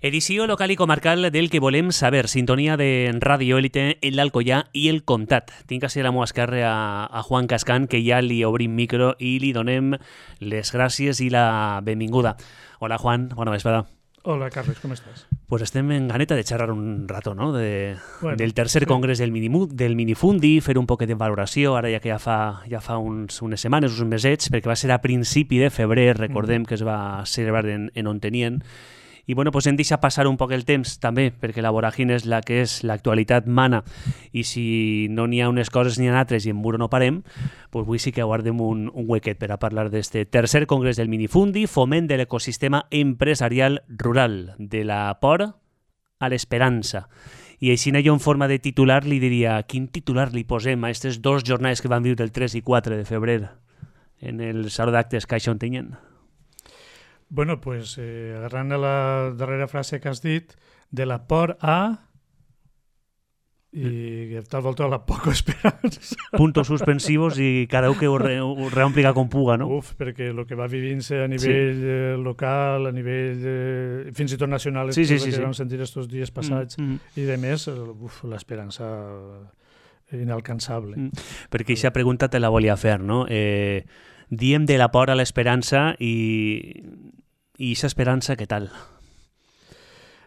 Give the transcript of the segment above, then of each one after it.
Edició local i comarcal del que volem saber. Sintonia de Ràdio Élite en l'Alcoià i el Comtat. Tinc a ser la meva esquerra a Juan Cascan, que ja li obrim micro i li donem les gràcies i la benvinguda. Hola, Juan. Bona vesprada. Hola, Carles, com estàs? Pues estem en ganeta de xerrar un rato, no? Del tercer sí. congrés del Minifundi, fer un poquet de valoració, ara ja que ja fa unes setmanes, uns mesets, perquè va ser a principi de febrer, recordem que es va celebrar en Ontenien. I bueno, pues hem deixat passar un poc el temps també, perquè la voràgine és la que és, l'actualitat mana, i si no n'hi ha unes coses ni ha altres i en muro no parem, pues avui sí que guardem un huequet per a parlar d'este tercer congrés del Minifundi, foment de l'ecosistema empresarial rural, de la por a l'esperança. I així jo en forma de titular li diria, quin titular li posem a aquestes dues jornades que van viure el 3 i 4 de febrer en el Saló d'Actes Caixa Ontinyent? Bueno, pues agarrant a la darrera frase que has dit, de la por a i tal volta la poca esperança. Puntos suspensivos i cada un que ho reompliga com puga, no? Uf, perquè el que va vivint-se a nivell local, a nivell fins i tot nacional, que vam sentir estos dies passats, i de més, l'esperança inalcançable. Perquè aquesta pregunta te la volia fer, no? Diem de la por a l'esperança i aquesta esperança, què tal?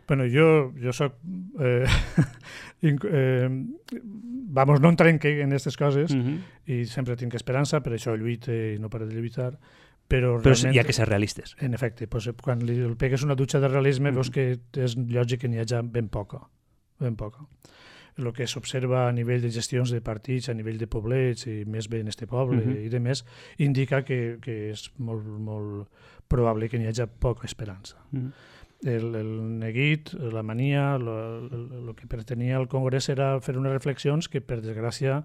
Bueno, jo soc... vamos, no entrenque en aquestes coses i sempre tinc esperança, per això lluite i no pare de lluitar, però realment... hi ha que ser realistes. En efecte, pues, quan li pegues una dutxa de realisme veus que és lògic que n'hi hagi ben poca. El que s'observa a nivell de gestions de partits, a nivell de poblets, i més bé en este poble i de més, indica que és molt, molt probable que n'hi hagi poca esperança. El neguit, la mania, el que pretenia el Congrés era fer unes reflexions que, per desgràcia,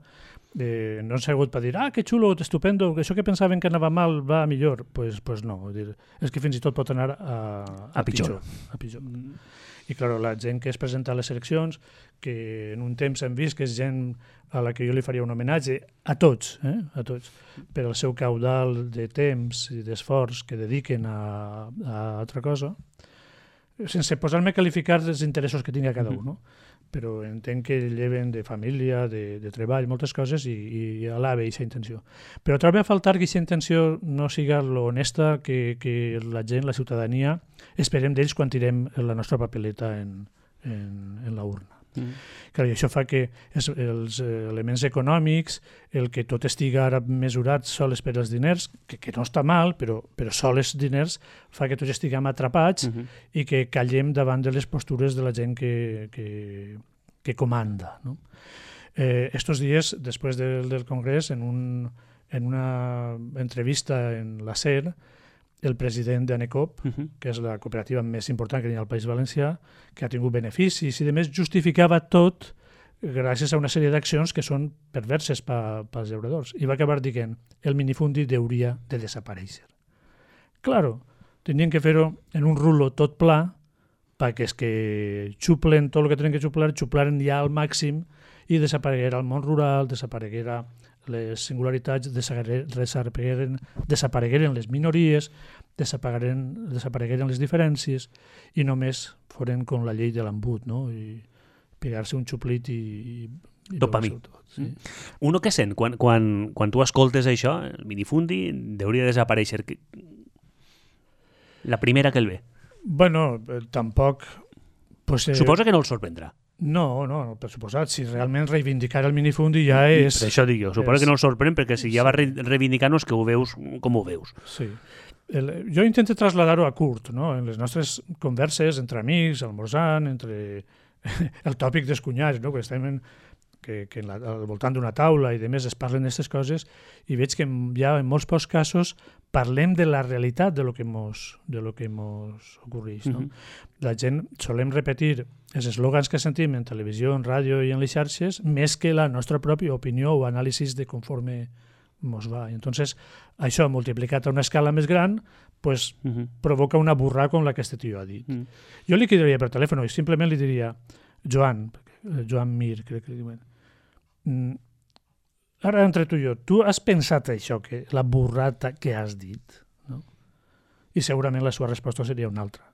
no han sigut per dir que xulo, estupendo, això que pensaven que anava mal va millor. Pues no, és que fins i tot pot anar a pitjor. I, clar, la gent que es presenta a les eleccions, que en un temps hem vist que és gent a la que jo li faria un homenatge, a tots, per al seu caudal de temps i d'esforç que dediquen a altra cosa, sense posar-me a qualificar els interessos que tingui cada un, no? Però entenc que lleven de família, de treball, moltes coses, i alaba aquesta intenció. Però trobo a faltar que aquesta intenció no siga l'honesta que la gent, la ciutadania, esperem d'ells quan tirem la nostra papeleta en la urna. Clar, i això fa que els elements econòmics, el que tot estiga ara mesurat sols per als diners, que no està mal, però sols diners fa que tots estiguem atrapats i que callem davant de les postures de la gent que comanda. Estos dies, després del Congrés, en una entrevista en la SER, el president d'ANECOP, que és la cooperativa més important que hi ha al País Valencià, que ha tingut beneficis i, a més, justificava tot gràcies a una sèrie d'accions que són perverses pels llauradors. I va acabar dient el minifundi hauria de desaparèixer. Claro, tenien que fer-ho en un rulo tot pla perquè és que xuplen tot el que tenen que xuplar, xuplaren ja al màxim i desapareguera el món rural, desapareguera les singularitats, desaparegueren les minories, desaparegueren les diferències i només foren com la llei de l'embut, no? I pegar-se un xuplit i dopamí. Sí. Uno què sent? Quan tu escoltes això, el minifundi hauria de desaparèixer. La primera que el ve. Bueno, tampoc... Suposa que no el sorprendrà. No, per suposat, si realment reivindicar el minifundi ja és... Per això dic jo, suposo que no el sorprèn, perquè si ja va reivindicar-nos que ho veus com ho veus. Sí. Jo intento trasladar-ho a curt, no? En les nostres converses entre amics, almorzant, entre el tòpic dels cunyats, no? Que estem al voltant d'una taula i de més es parlen d'aquestes coses i veig que ja en molts pocs casos parlem de la realitat de lo que mos ocorreix. No? La gent solem repetir els eslògans que sentim en televisió, en ràdio i en les xarxes més que la nostra pròpia opinió o anàlisis de conforme mos va. Entonces, això multiplicat a una escala més gran pues, provoca una burra com la que este tio ha dit. Jo li quedaria per telèfon i simplement li diria Joan Mir, crec que diuen, ara entre tu i jo, tu has pensat això, que la burrata que has dit? No? I segurament la seva resposta seria una altra.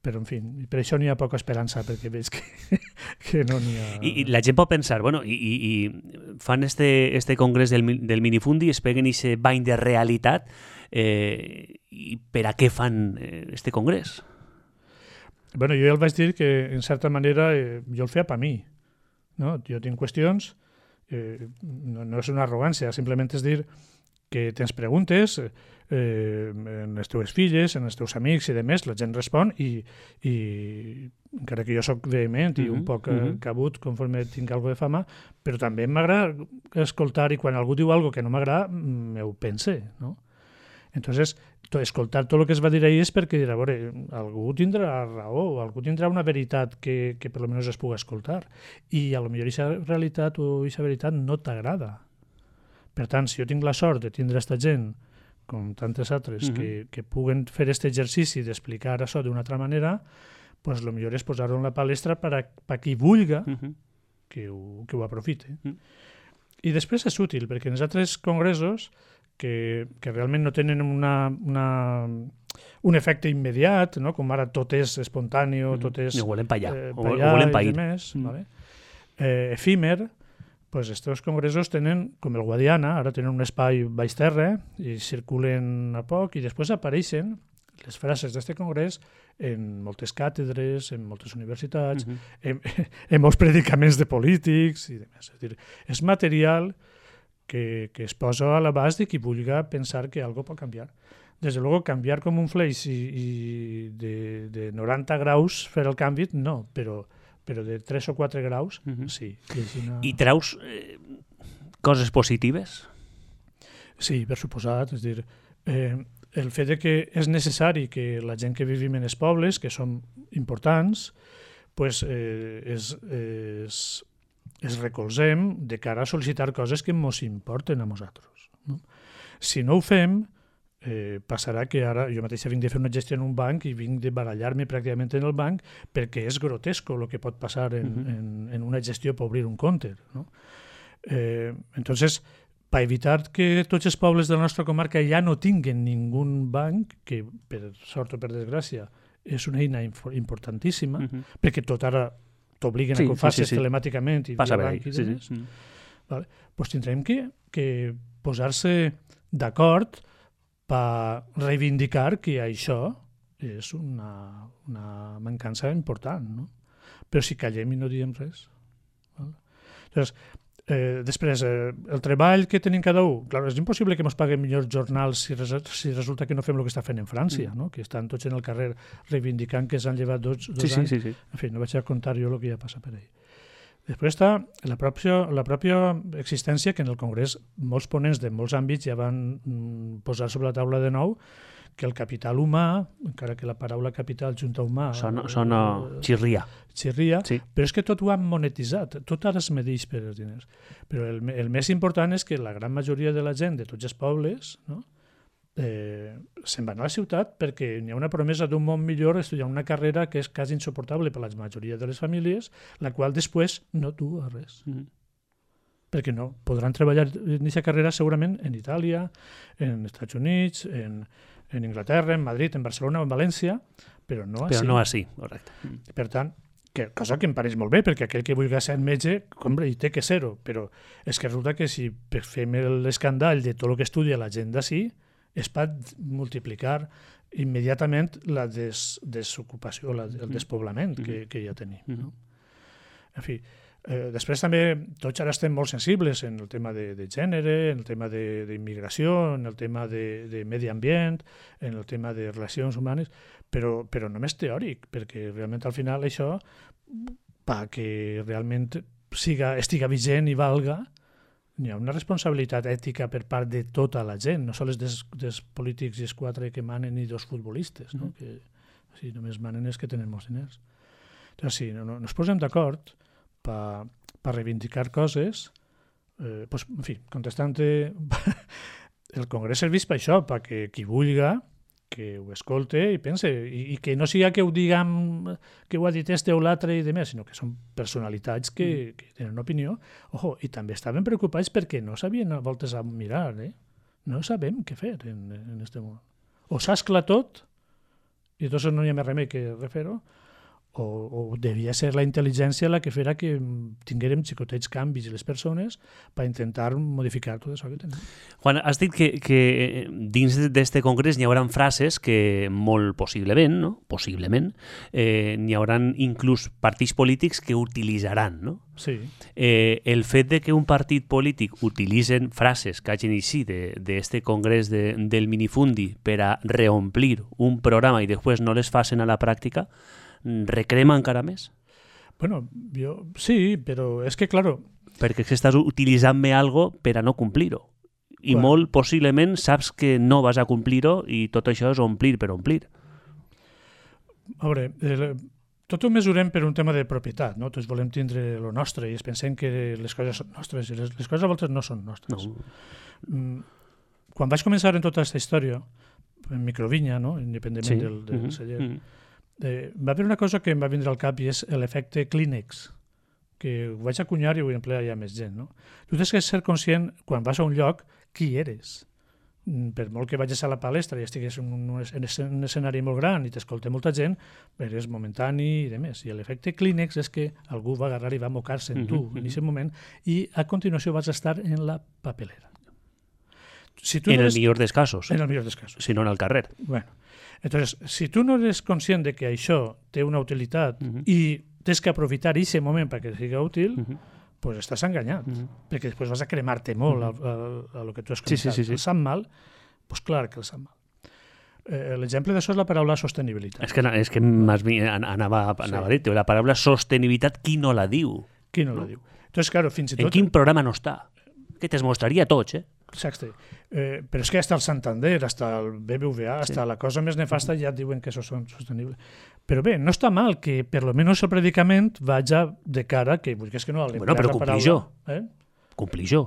però, en fi, per això n'hi ha poca esperança, perquè veig que no n'hi ha... I la gent pot pensar, bueno, i fan este congrés del minifundi, es peguen aquest bany de realitat, i per a què fan este congrés? Bueno, jo ja el vaig dir que, en certa manera, jo el feia per mi. No? Jo tinc qüestions, no és una arrogància, simplement és dir que tens preguntes, en les teves filles, en els teus amics i demés, la gent respon i encara que jo sóc vehement i un poc cabut conforme tinc alguna de fama, però també m'agrada escoltar i quan algú diu alguna que no m'agrada, m'ho pense, no? Entonces, escoltar tot el que es va dir ahir és perquè dirà, a veure, algú tindrà raó, algú tindrà una veritat que per almenys es pugui escoltar i a lo millor aquesta realitat o aquesta veritat no t'agrada. Per tant, si jo tinc la sort de tindre aquesta gent, com tantes altres, que puguen fer aquest exercici d'explicar això d'una altra manera, pues el millor és posar-ho en la palestra per a qui vulga que ho aprofite. I després és útil, perquè en els altres congressos que realment no tenen un efecte immediat, no? Com ara tot és espontani, tot és ho volem pa allà, ho volem pa i demés, vale? Efímer, pues estos congressos tenen, com el Guadiana, ara tenen un espai baix terra i circulen a poc i després apareixen les frases d'aquest congrés en moltes càtedres, en moltes universitats, en molts predicaments de polítics i demés. És dir, és material que es posa a l'abast de qui vulgui pensar que algo pot canviar. Des de luego, canviar com un fleix i de 90 graus fer el canvi, no, però de 3 o 4 graus, sí. I treus coses positives? Sí, per suposat. És dir, el fet de que és necessari que la gent que vivim en els pobles, que som importants, pues, es recolzem de cara a sol·licitar coses que ens importen a nosaltres. No? Si no ho fem, passarà que ara jo mateixa vinc de fer una gestió en un banc i vinc de barallar-me pràcticament en el banc perquè és grotesco el que pot passar en una gestió per obrir un compte. No? Entonces, per evitar que tots els pobles de la nostra comarca ja no tinguen ningú banc, que per sort o per desgràcia és una eina importantíssima, perquè tot ara t'obliguen a que ho facis telemàticament i via banc i demés, vale? Pues tindrem que posar-se d'acord per reivindicar que això és una mancança important, no? Però si callem i no diem res. Vale? Entonces, després, el treball que tenim cada un, clar, és impossible que ens paguem millors jornals si resulta que no fem el que està fent en França, no? Que estan tots en el carrer reivindicant que s'han llevat dos anys. Sí. En fi, no vaig a contar jo el que ja passa per ahí. Després està la pròpia existència que en el Congrés molts ponents de molts àmbits ja van posar sobre la taula de nou que el capital humà, encara que la paraula capital junta humà... Sona xirria. Xirria, sí. Però és que tot ho han monetitzat, tot ara es medeix per els diners. Però el més important és que la gran majoria de la gent de tots els pobles, no? Se'n van a la ciutat perquè hi ha una promesa d'un món millor estudiar una carrera que és quasi insuportable per la majoria de les famílies, la qual després no du a res. Perquè no, podran treballar en aquesta carrera segurament en Itàlia, en Estats Units, en Inglaterra, en Madrid, en Barcelona o en València, però no així. Però no així, correcte. Per tant, cosa que em pareix molt bé, perquè aquell que vulgui ser metge, compre, hi té que ser-ho, però és que resulta que si fem l'escandall de tot el que estudia la gent d'ací, es pot multiplicar immediatament la desocupació, el despoblament que ja tenim. No? En fi, després també tots ara estem molt sensibles en el tema de gènere, en el tema d'immigració, en el tema de medi ambient, en el tema de relacions humanes, però només teòric, perquè realment al final això, perquè realment estiga vigent i valga, hi ha una responsabilitat ètica per part de tota la gent, no sols dels polítics i els 4 que manen i 2 futbolistes, no? Que si només manen és que tenen molts diners. Doncs sí, no ens posem d'acord per reivindicar coses, pues, en fi, contestant el Congrés serveix per això, perquè qui vulga que ho escolte i pense, i que no siga que ho diguem que ho ha dit este o l'altre i demés, sinó que són personalitats que tenen opinió. Ojo, i també estaven preocupats perquè no sabien a voltes a mirar, no sabem què fer en este món. O s'ascla tot i entonces no hi ha més remei que refer-ho, o devia ser la intel·ligència la que fera que tinguérem xicotets canvis i les persones per intentar modificar tot això que tenim. Juan, has dit que dins d'este congrés n'hi haurà frases que molt possiblement, no? Possiblement, n'hi haurà inclús partits polítics que utilitzaran, no? Sí. El fet de que un partit polític utilitzen frases que hagin així d'este congrés del minifundi per a reomplir un programa i després no les facin a la pràctica, recrema encara més? Bueno, sí, però és que, claro... Perquè estàs utilitzant-me algo per a no complir-ho. I molt possiblement saps que no vas a complir-ho i tot això és omplir per omplir. A veure, tot ho mesurem per un tema de propietat, no? Tots volem tindre lo nostre i es pensem que les coses són nostres i les coses a voltes no són nostres. No. Quan vaig començar en tota aquesta història, en microvinya, no? Independentment del celler, va haver una cosa que em va vindre al cap i és l'efecte Kleenex, que ho vaig acunyar i ho emplear ja més gent. No? Tu tens que ser conscient, quan vas a un lloc, qui eres. Per molt que vagis a la palestra i estigués en un escenari molt gran i t'escolta molta gent, eres momentani i demés. I l'efecte Kleenex és que algú va agarrar i va mocar-se en tu en aquest moment i a continuació vas estar en la papelera. En el millor dels casos. En el millor dels casos. Si no en el carrer. Bueno, entonces, si tu no eres conscient de que això té una utilitat i tens que aprofitar aquest moment perquè sigui útil, pues estàs enganyat, perquè després vas a cremar-te molt a lo que tu has comentat. Sí. El sap mal, pues clar que el sap mal. L'exemple d'això és la paraula sostenibilitat. És que anava a dir, la paraula sostenibilitat, qui no la diu? Qui no la diu? Entonces, claro, fins i tot... En quin programa no està? Que te'ls mostraria tots, Exacte. Però és que hasta el Santander, hasta el BBVA, hasta la cosa més nefasta ja diuen que això és sostenible. Però bé, no està mal que per lo menos el predicament vaja de cara que vulguis que no... Bueno, però complir jo. Complir jo.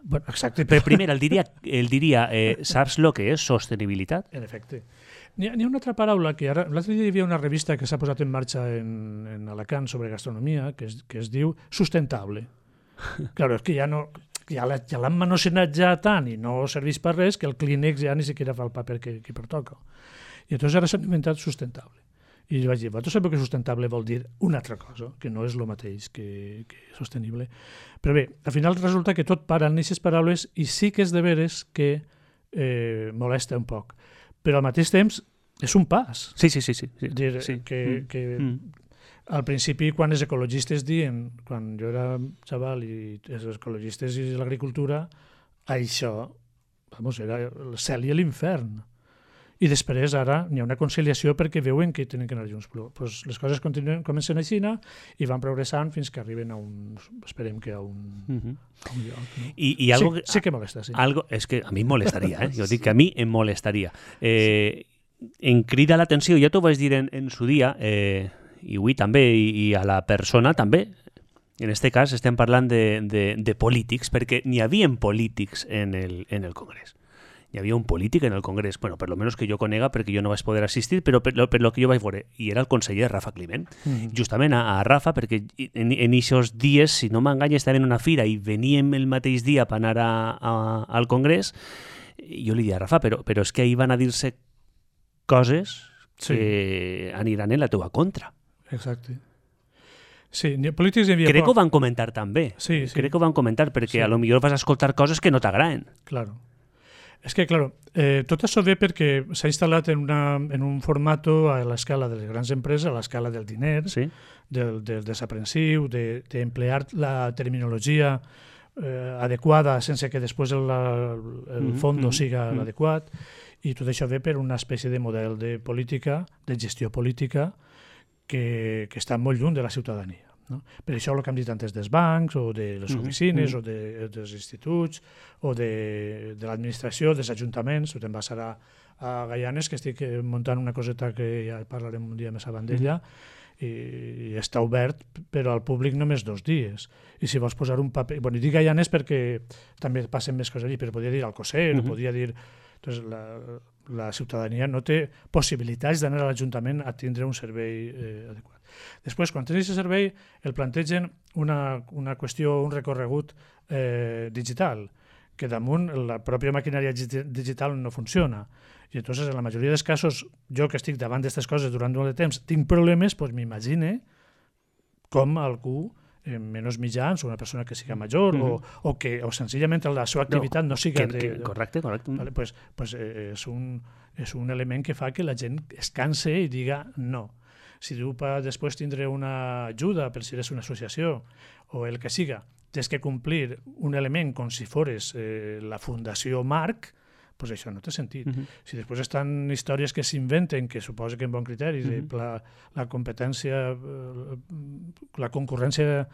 Bueno, exacte. Però primer el diria saps lo que és sostenibilitat? En efecte. N'hi ha una altra paraula que ara... L'altre dia hi havia una revista que s'ha posat en marxa en Alacant sobre gastronomia que es diu Sustentable. Claro, és que ja no... Ja l'han manosenat ja tant i no serveix per res que el Kleenex ja ni siquiera fa el paper que pertoca. I llavors ara s'han inventat sustentable. I jo vaig dir, vosaltres sabeu que sustentable vol dir una altra cosa, que no és el mateix que sostenible. Però bé, al final resulta que tot para en aquestes paraules i sí que és de veres que molesta un poc. Però al mateix temps és un pas. Sí. Dir que al principi, quan els ecologistes diuen, quan jo era xaval i els ecologistes i l'agricultura, això era el cel i l'infern. I després ara n'hi ha una conciliació perquè veuen que tenen que anar junts. Però les coses comencen així i van progressant fins que arriben a esperem que a un lloc. No? I algo sí que molesta, sí. És que a mi em molestaria, Jo dic que a mi em molestaria. Em crida l'atenció, ja t'ho vaig dir en su dia, i avui també, i a la persona també. En aquest cas estem parlant de polítics, perquè n'hi havia polítics en el Congrés. Hi havia un polític en el Congrés, bueno, per lo menos que jo conega, perquè jo no vaig poder assistir, però per lo que jo vaig veure, i era el conseller Rafa Climent. Justament a Rafa, perquè en aquests dies, si no m'enganya, estava en una fira i veníem el mateix dia per anar al Congrés, jo li dic a Rafa, però és que ahir van a dir-se coses que aniran en la teua contra. Exacte. Sí, polítics hi havia Crec que ho van comentar també. Sí. Crec que ho van comentar perquè a lo millor vas a escoltar coses que no t'agraden. Claro. És que, claro, tot això ve perquè s'ha instal·lat en un format a l'escala de les grans empreses, a l'escala del diner, del desaprensiu, d'emplear la terminologia adequada sense que després el fons siga l'adequat, i tot això ve per una espècie de model de política, de gestió política, que està molt lluny de la ciutadania. No? Per això el que hem dit antes dels bancs, o de les oficines, o dels instituts, o de l'administració, dels ajuntaments. Te'n vas ara a Gaianes, que estic muntant una coseta que ja parlarem un dia més avant d'ella, i està obert, però al públic només 2 dies. I si vols posar un paper... Bueno, dic Gaianes perquè també passen més coses allí, però podria dir Alcocer, podria dir... Entonces, la ciutadania no té possibilitats d'anar a l'Ajuntament a tindre un servei adequat. Després, quan tens aquest servei, el plantegen una qüestió, un recorregut digital, que damunt la pròpia maquinària digital no funciona. I entonces, en la majoria dels casos, jo que estic davant d'aquestes coses durant molt de temps, tinc problemes, doncs m'imagine com algú menys mitjans, o una persona que siga major, o senzillament la seva activitat no siga... Correcte. Vale, pues és un element que fa que la gent es canse i diga no. Si tu després tindré una ajuda, per si eres una associació, o el que siga, tens que complir un element com si fores la Fundació Marc, pues això no té sentit. Si després estan històries que s'inventen, que suposa que en bon criteri, la competència, la concurrència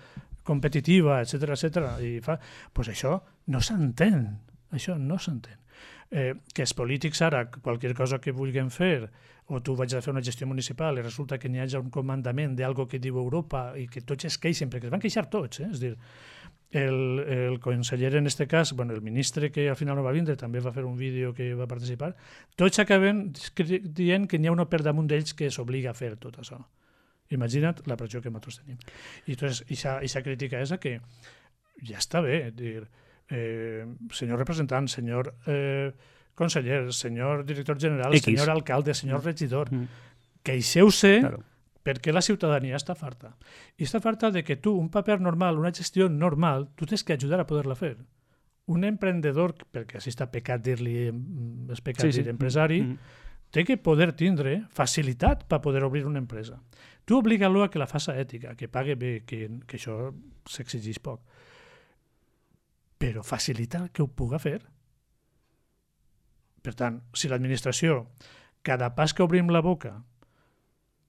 competitiva, etcètera, i fa, pues això no s'entén. Això no s'entén. Que els polítics ara, qualsevol cosa que vulguin fer, o tu vaig a fer una gestió municipal i resulta que n'hi hagi un comandament d'algo que diu Europa i que tots es queixen, perquè es van queixar tots, és a dir, el conseller en aquest cas, el ministre que al final no va vindre, també va fer un vídeo que va participar, tots acaben dient que n'hi ha una per damunt d'ells que s'obliga a fer tot això. Imagina't la pressió que nosaltres tenim. I aquesta crítica és que ja està bé, dir, senyor representant, senyor conseller, senyor director general, senyor alcalde, senyor regidor, queixeu-se perquè la ciutadania està farta. I està farta de que tu, un paper normal, una gestió normal, tu tens que ajudar a poder-la fer. Un emprendedor, perquè així està pecat dir-li empresari, té que poder tindre facilitat per poder obrir una empresa. Tu obliga-lo a que la faça ètica, que pague bé, que això s'exigeix poc. Però facilitar que ho puga fer. Per tant, si l'administració, cada pas que obrim la boca,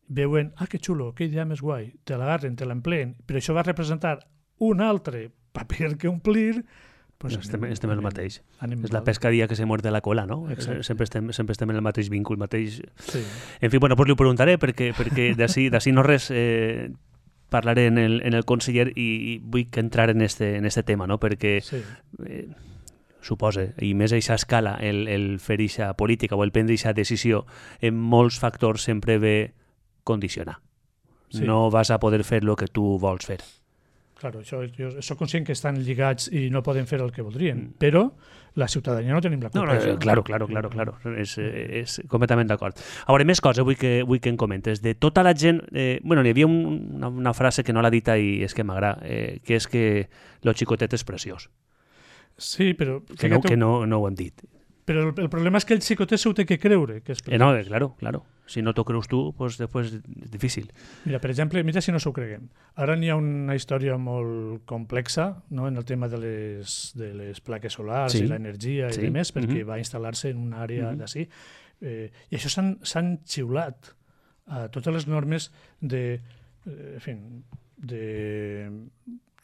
veuen, que xulo, que idea més guai, te l'agarren, te l'empleen, però això va representar un altre paper que omplir, pues estem en el mateix. És la pescadilla que se muerde la cola, no? Sempre estem en el mateix vincul, mateix... Sí. En fi, bueno, pues li ho preguntaré, perquè d'ací no res parlaré en el conseller i vull que entrar en este tema, no? Perquè suposa, i més a aquesta escala, el fer aquesta política o el prendre aquesta decisió, en molts factors sempre ve condicionar. No vas a poder fer el que tu vols fer. Claro, jo soc conscient que estan lligats i no poden fer el que voldrien, però la ciutadania no tenim la culpa. Claro. És completament d'acord. A veure, més coses vull que em comentes. De tota la gent... hi havia una frase que no l'ha dit i és que m'agrada, que és que lo xicotet és preciós. Sí, però... Que no ho hem dit. Però el problema és que el xicotet s'ho té que creure. Que és no, claro. Si no t'ho creus tu, pues després és difícil. Mira, per exemple, mira si no s'ho creguem. Ara n'hi ha una història molt complexa, no?, en el tema de les plaques solars i l'energia i demés, perquè va instal·lar-se en una àrea d'ací. I això s'han xiulat a totes les normes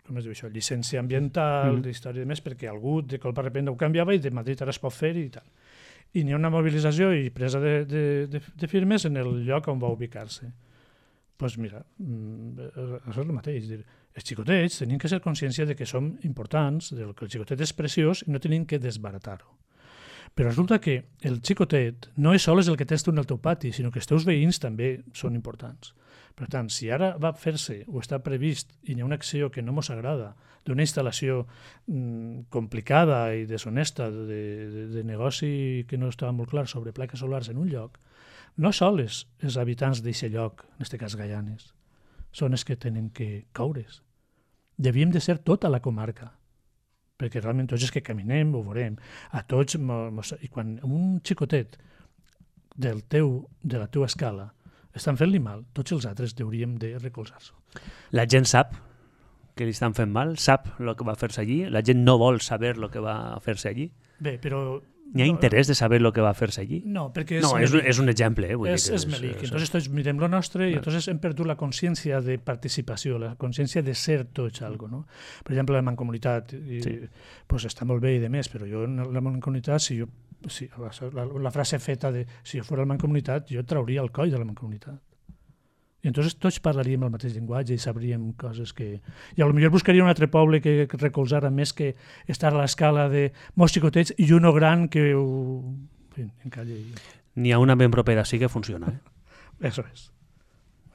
com es diu això, llicència ambiental, d'història i més, perquè algú de colpa de repente ho canviava i de Madrid ara es pot fer i tal. I n'hi ha una mobilització i presa de firmes en el lloc on va ubicar-se. Doncs mira, això és el mateix. Els xicotets tenim que ser consciència de que som importants, que el xicotet és preciós i no tenim que desbaratar-ho. Però resulta que el xicotet no és sols el que tens tu en el teu pati, sinó que els teus veïns també són importants. Per tant, si ara va fer-se o està previst i hi ha una acció que no ens agrada d'una instal·lació complicada i deshonesta de negoci que no estava molt clar sobre plaques solars en un lloc, no sols els habitants d'aquest lloc, en aquest cas Gaianes, són els que tenen que coure's. Devíem de ser tota la comarca, perquè realment tots els que caminem ho veurem. A tots, i quan un xicotet de la teva escala estan fent-li mal, tots els altres hauríem de recolzar-se. La gent sap que li estan fent mal? Sap el que va fer-se allí? La gent no vol saber el que va fer-se allí? Bé, però... N'hi ha interès de saber el que va fer-se allí? No, perquè és un exemple. És melic. Entonces tots mirem lo nostre i entonces hem perdut la consciència de participació, la consciència de ser tots algo, no? Per exemple, la mancomunitat pues està molt bé i de més, però jo en la mancomunitat, la frase feta de si jo fos la mancomunitat, jo trauria el coll de la mancomunitat. I entonces tots parlaríem el mateix llenguatge i sabríem coses que... I potser buscaria un altre poble que recolzara més que estar a l'escala de molts xicotets i uno gran que ho... En fi, encalla. N'hi ha una ben propera, sí que funciona. Eso és.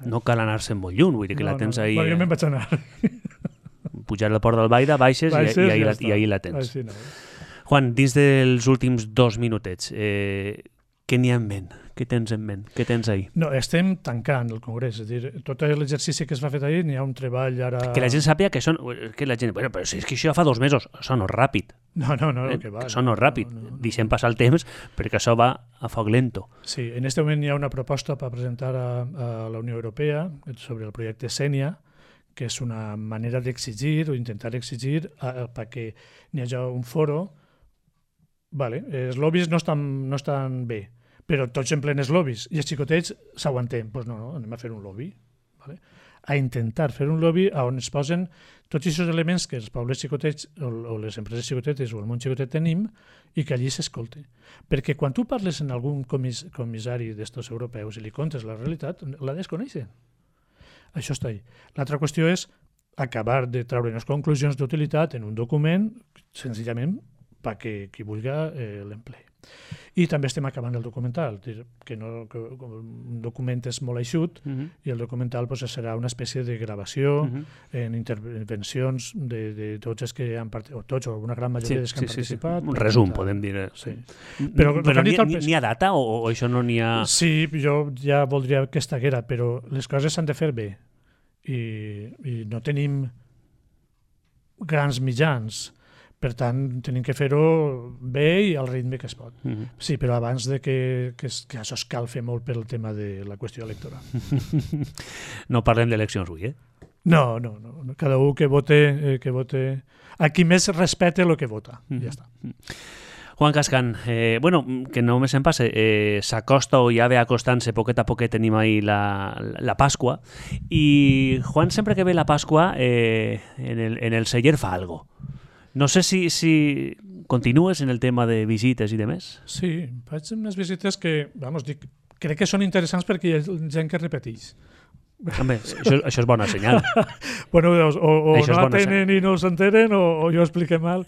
No cal anar-se'n molt lluny, vull dir que la tens ahí... Jo me'n vaig anar. Pujar al Port del Baida, baixes i ahí la tens. Juan, dins dels últims 2 minutets, què n'hi ha en ment? Què tens en ment? Què tens ahir? No, estem tancant el Congrés, és a dir, tot l'exercici que es va fer ahir, n'hi ha un treball ara... Que la gent sàpiga que són... Que la gent... Bueno, però si és que això fa 2 mesos, això no és ràpid. No, que va. Que això no és ràpid. Deixem passar el temps perquè això va a foc lento. Sí, en aquest moment hi ha una proposta per presentar a la Unió Europea sobre el projecte Sènia, que és una manera d'exigir o intentar exigir perquè n'hi hagi un foro. Vale, els lobbies no estan bé, però tots en plenes lobbies, i els xicotets s'aguantem. Doncs no, anem a fer un lobby. Vale? A intentar fer un lobby on es posen tots aquests elements que els pobles xicotets o les empreses xicotetes o el món xicotet tenim i que allí s'escolte. Perquè quan tu parles en algun comissari d'estos europeus i li contes la realitat, la desconeixen. Això està ahí. L'altra qüestió és acabar de treure les conclusions d'utilitat en un document, senzillament perquè qui vulgui l'empleï. I també estem acabant el documental, que un document és molt eixut i el documental serà una espècie de gravació en intervencions de tots els que han participat, o tots o una gran majoria dels que han participat. Un resum, podem dir. Sí. Però n'hi ha data o això no n'hi ha... Sí, jo ja voldria que estiguera, però les coses s'han de fer bé i no tenim grans mitjans. Per tant, tenim que fer-ho bé i al ritme que es pot. Sí, però abans de que això es cal fer molt pel tema de la qüestió electoral. No parlem d'eleccions avui, No. Cada un que vote... A qui més respecte el que vota. Ja està. Juan Cascan, que no me se'n passe, s'acosta o ja ve acostant-se poquet a poquet, tenim ahí la Pasqua, i Juan sempre que ve la Pasqua en el celler fa algo. No sé si continues en el tema de visites i demés. Sí, faig unes visites que, crec que són interessants perquè hi ha gent que repeteix. Home, això és bona senyal. Bueno, o no atenen i no s'entenen o jo expliqué mal.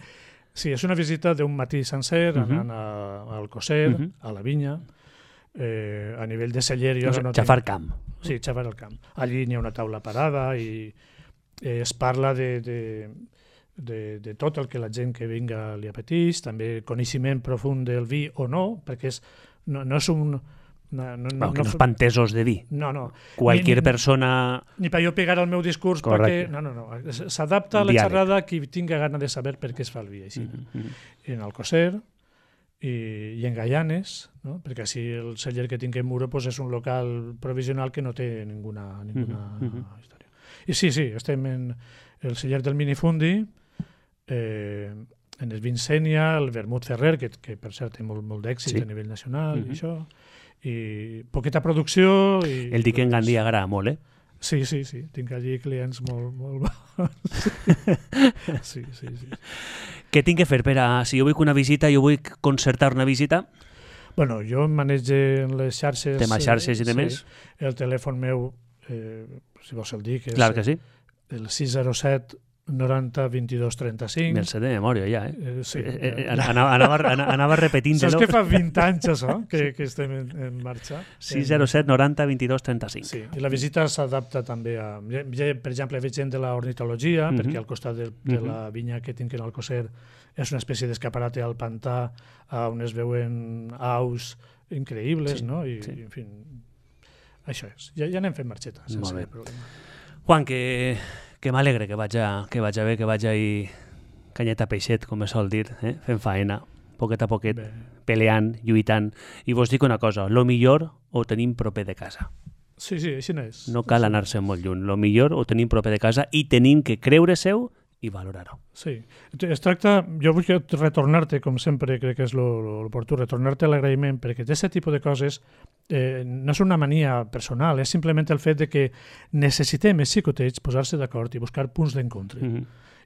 Sí, és una visita d'un matí sencer, anant al Coser, a la vinya, a nivell de celler... Xafar camp. Sí, xafar el camp. Allí n'hi ha una taula parada i es parla de tot el que la gent que vinga li apeteix, també coneixement profund del vi o no, perquè no és un... que no és pantesos de vi. No. Qualquier persona... Ni per jo pegar el meu discurs perquè... No. S'adapta a la xerrada a qui tinga gana de saber per què es fa el vi així. En el Coser i en Gaianes, no? Perquè així el celler que tinc en Muro és un local provisional que no té ninguna història. I sí, estem en el celler del Minifundi, en el Vincènia, el Vermut Ferrer, que per cert té molt d'èxit a nivell nacional, i això, i poqueta producció... El dic en Gandia agrada molt, Sí, tinc allí clients molt bons. Sí. Què tinc que fer si jo vull una visita, jo vull concertar una visita? Bueno, jo manege les xarxes... Tema xarxes i demés? El telèfon meu, si vols el dic, és Clar que sí. el 607 90 22 35. Me'l sé de memòria ja, Sí. Anava repetint-lo. Saps que fa 20 anys això, que estem en marxa? 607 90 22 35. Sí, i la visita s'adapta també a... Per exemple, veig gent de l'ornitologia, perquè al costat de la vinya que tinc en el Coser és una espècie d'escaparate al pantà on es veuen aus increïbles, no? I, en fi, això és. Ja anem fent marxeta, sense cap problema. Juan, que m'alegre que vaig bé, que vaig ahir canyeta peixet, com es sol dir, fent faena, poquet a poquet, peleant, lluitant. I vos dic una cosa, lo millor ho tenim proper de casa. Sí, així no és. No cal anar-se molt lluny. Lo millor ho tenim proper de casa i tenim que creure-seu i valorar-ho. Sí. Es tracta, jo vull retornar-te, com sempre crec que és l'oportú, retornar-te a l'agraïment, perquè aquest tipus de coses no és una mania personal, és simplement el fet de que necessitem els xicotets posar-se d'acord i buscar punts d'encontre.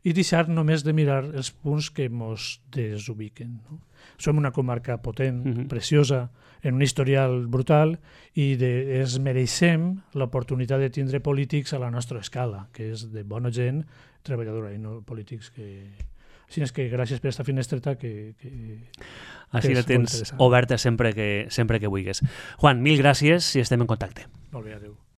I deixar només de mirar els punts que ens desubiquen. No? Som una comarca potent, preciosa, en un historial brutal, i es mereixem l'oportunitat de tindre polítics a la nostra escala, que és de bona gent treballadora i no polítics que... Així és que gràcies per aquesta finestreta que així la tens oberta sempre que vulguis. Juan, mil gràcies i estem en contacte. Molt bé, adéu.